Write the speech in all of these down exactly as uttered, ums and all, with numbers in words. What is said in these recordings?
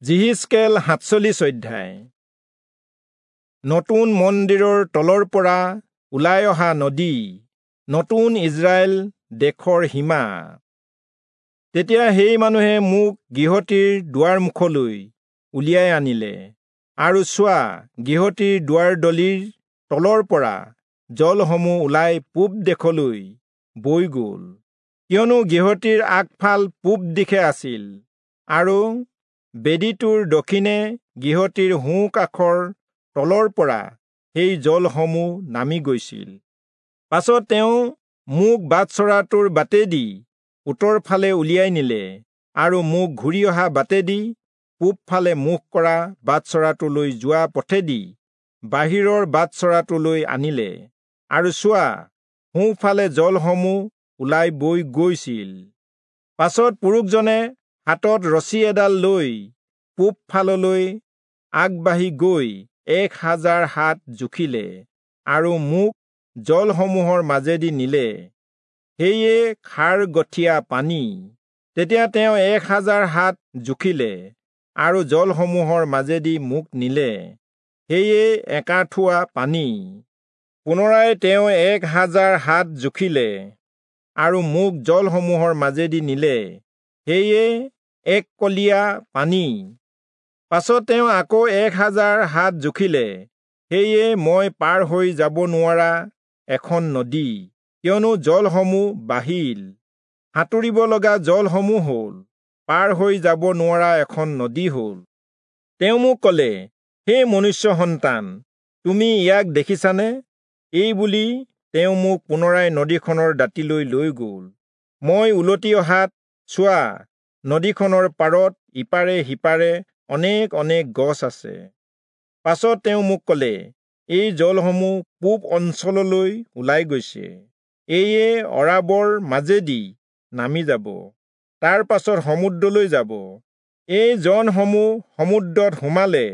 যিহিষ্কেল সাতচল্লিশ অধ্যায়। নতুন মন্দিৰৰ তলৰ পৰা ওলাই অহা নদী, নতুন ইজৰাইল দেশৰ সীমা। তেতিয়া সেই মানুহে মোক গৃহটিৰ দুৱাৰমুখলৈ উলিয়াই আনিলে, আৰু চোৱা, গৃহটিৰ দুৱাৰদলিৰ তলৰ পৰা জলসমূহ ওলাই পূব দেশলৈ বৈ গ'ল, কিয়নো গৃহটিৰ আগফাল পূব দিশে আছিল, আৰু বেদীটোৰ দক্ষিণে গৃহটিৰ সোঁ কাষৰ তলৰ পৰা সেই জলসমূহ নামি গৈছিল। পাছত তেওঁ মোক বাটচৰাটোৰ বাটেদি উত্তৰ ফালে উলিয়াই নিলে, আৰু মোক ঘূৰি অহা বাটেদি পূবফালে মুখ কৰা বাটচৰাটোলৈ যোৱা পথেদি বাহিৰৰ বাটচৰাটোলৈ আনিলে, আৰু চোৱা, সোঁফালে জলসমূহ ওলাই বৈ গৈছিল। পাছত পুৰুষজনে হাতত ৰছী এডাল লৈ পূবফাললৈ আগবাঢ়ি গৈ এক হাজাৰ হাত জুখিলে, আৰু মোক জলসমূহৰ মাজেদি নিলে, সেয়ে খাৰ গঠীয়া পানী। তেতিয়া তেওঁ এক হাজাৰ হাত জুখিলে, আৰু জলসমূহৰ মাজেদি মোক নিলে, সেয়ে একাঠুৱা পানী। পুনৰাই তেওঁ এক হাজাৰ হাত জুখিলে, আৰু মোক জলসমূহৰ মাজেদি নিলে, সেয়ে এক কলীয়া পানী। পাছত তেওঁ আকৌ এক হাজাৰ হাত জুখিলে, সেয়ে মই পাৰ হৈ যাব নোৱাৰা এখন নদী, কিয়নো জলসমূহ বাঢ়িল, সাঁতুৰিব লগা জলসমূহ হ'ল, পাৰ হৈ যাব নোৱাৰা এখন নদী হ'ল। তেওঁ মোক ক'লে, হে মনুষ্য সন্তান, তুমি ইয়াক দেখিছানে? এই বুলি তেওঁ মোক পুনৰাই নদীখনৰ দাঁতিলৈ লৈ গ'ল। মই উলটি অহাত চোৱা, নদীখনৰ পাৰত ইপাৰে সিপাৰে অনেক অনেক গছ আছে। পাছত তেওঁ মোক ক'লে, এই জলসমূহ পূব অঞ্চললৈ ওলাই গৈছে, এয়ে অৰাবৰ মাজেদি নামি যাব, তাৰ পাছত সমুদ্ৰলৈ যাব। এই জলসমূহ সমুদ্ৰত সোমালে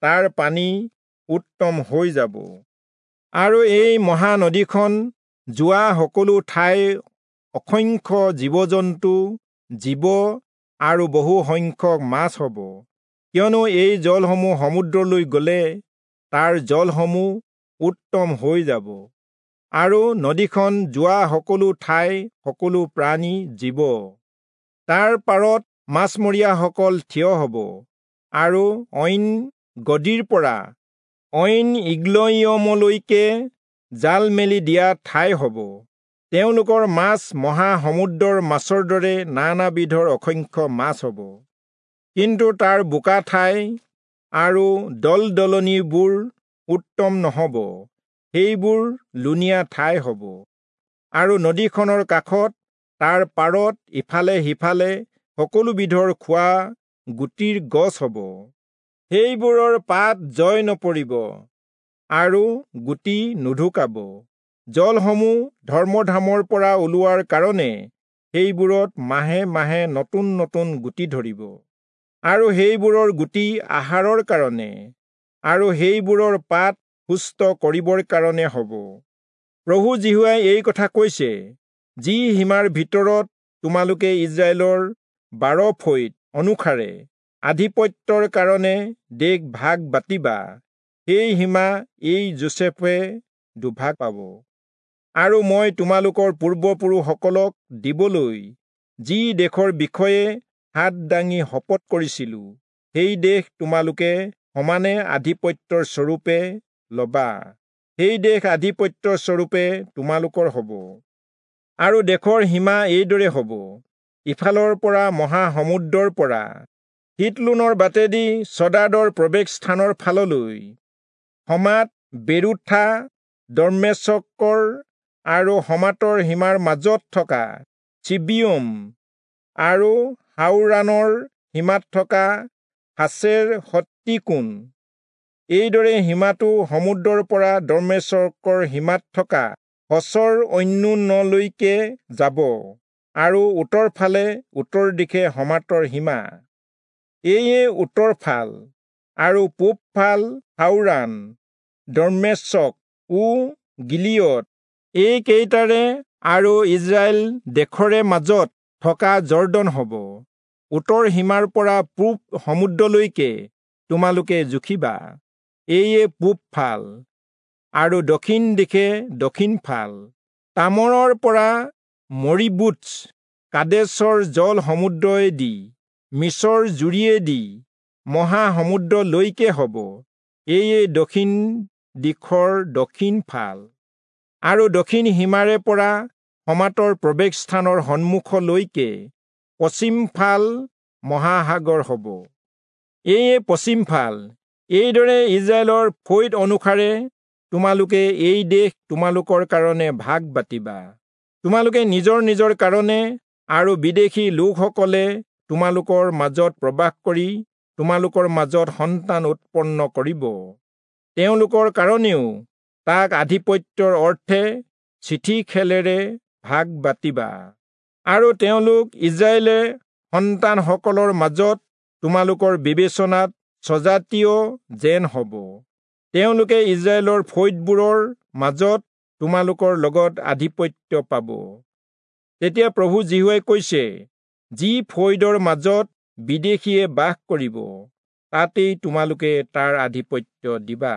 তাৰ পানী উত্তম হৈ যাব। আৰু এই মহানদীখন যোৱা সকলো ঠাই অসংখ্য জীৱ-জন্তু, জীৱ আৰু বহু সংখ্যক মাছ হ'ব, কিয়নো এই জলসমূহ সমুদ্ৰলৈ গ'লে তাৰ জলসমূহ উত্তম হৈ যাব, আৰু নদীখন যোৱা সকলো ঠাই সকলো প্ৰাণী জীৱ। তাৰ পাৰত মাছমৰীয়াসকল থিয় হ'ব, আৰু অইন গদিৰ পৰা অইন ইগ্লয়িমলৈকে জাল মেলি দিয়া ঠাই হ'ব। তেওঁলোকৰ মাছ মহাসমুদ্ৰৰ মাছৰ দৰে নানাবিধৰ অসংখ্য মাছ হ'ব। কিন্তু তাৰ বোকা ঠাই আৰু দলদলনিবোৰ উত্তম নহ'ব, সেইবোৰ লুণীয়া ঠাই হ'ব। আৰু নদীখনৰ কাষত তাৰ পাৰত ইফালে সিফালে সকলো বিধৰ খোৱা গুটিৰ গছ হ'ব, সেইবোৰৰ পাত জয় নপৰিব আৰু গুটি নুঢুকাব। জলসমূহ ধৰ্মধামৰ পৰা ওলোৱাৰ কাৰণে সেইবোৰত মাহে মাহে নতুন নতুন গুটি ধৰিব, আৰু সেইবোৰৰ গুটি আহাৰৰ কাৰণে আৰু সেইবোৰৰ পাত সুস্থ কৰিবৰ কাৰণে হ'ব। প্ৰভু যিহোৱাই এই কথা কৈছে, যি সীমাৰ ভিতৰত তোমালোকে ইজৰাইলৰ বাৰ ফৈদ অনুসাৰে আধিপত্যৰ কাৰণে দেশ ভাগ বাতিবা, সেই সীমা এই যোচেফে দুভাগ পাব। আৰু মই তোমালোকৰ পূৰ্বপুৰুষসকলক দিবলৈ যি দেশৰ বিষয়ে হাত দাঙি শপত কৰিছিলো, সেই দেশ তোমালোকে সমানে আধিপত্যৰ স্বৰূপে লবা, সেই দেশ আধিপত্য স্বৰূপে তোমালোকৰ হ'ব। আৰু দেশৰ সীমা এইদৰে হ'ব, ইফালৰ পৰা মহাসমুদ্ৰৰ পৰা হিতলোনৰ বাটেদি চদাদৰ প্ৰৱেশ স্থানৰ ফাললৈ, হমাত, বেৰুথা, দম্মেচকৰ আৰু হমাতৰ সীমাৰ মাজত থকা চিবিয়ম আৰু হাওৰাণৰ সীমাত থকা হাচেৰ হত্তিকোণ। এইদৰে সীমাটো সমুদ্ৰৰ পৰা দম্মেচকৰ সীমাত থকা হচৰ অন্যোনলৈকে যাব, আৰু উত্তৰ ফালে উত্তৰ দিশে হমাতৰ সীমা। এয়ে উত্তৰ ফাল, আৰু পূব ফাল হাওৰাণ, দম্মেচক ও গিলিয়দ, এই কেইটাৰে আৰু ইজৰাইল দেশৰে মাজত থকা যৰ্দন হ'ব। উত্তৰ সীমাৰ পৰা পূব সমুদ্ৰলৈকে তোমালোকে জুখিবা, এয়ে পূব ফাল, আৰু দক্ষিণ দিশে দক্ষিণ ফাল। তামৰৰ পৰা মৰিবুটছ কাদেশৰ জল সমুদ্ৰয়েদি মিছৰ জুৰিয়েদি মহাসমুদ্ৰলৈকে হ'ব, এয়ে দক্ষিণ দিশৰ দক্ষিণ ফাল। আৰু দক্ষিণ সীমাৰে পৰা সমাতৰ প্ৰৱেশস্থানৰ সন্মুখলৈকে পশ্চিম ফাল মহাসাগৰ হ'ব, এয়ে পশ্চিম ফাল। এইদৰে ইজৰাইলৰ ফৈদ অনুসাৰে তোমালোকে এই দেশ তোমালোকৰ কাৰণে ভাগ বাতিবা। তোমালোকে নিজৰ নিজৰ কাৰণে আৰু বিদেশী লোকসকলে তোমালোকৰ মাজত প্ৰবাস কৰি তোমালোকৰ মাজত সন্তান উৎপন্ন কৰিব, তেওঁলোকৰ কাৰণেও তাক আধিপত্যৰ অৰ্থে চিঠি খেলেৰে ভাগ বাতিবা। আৰু তেওঁলোক ইজৰাইলে সন্তানসকলৰ মাজত তোমালোকৰ বিবেচনাত স্বজাতীয় যেন হ'ব। তেওঁলোকে ইজৰাইলৰ ফৈদবোৰৰ মাজত তোমালোকৰ লগত আধিপত্য পাব। তেতিয়া প্ৰভু যিহোৱাই কৈছে, যি ফৈদৰ মাজত বিদেশীয়ে বাস কৰিব, তাতেই তোমালোকে তাৰ আধিপত্য দিবা।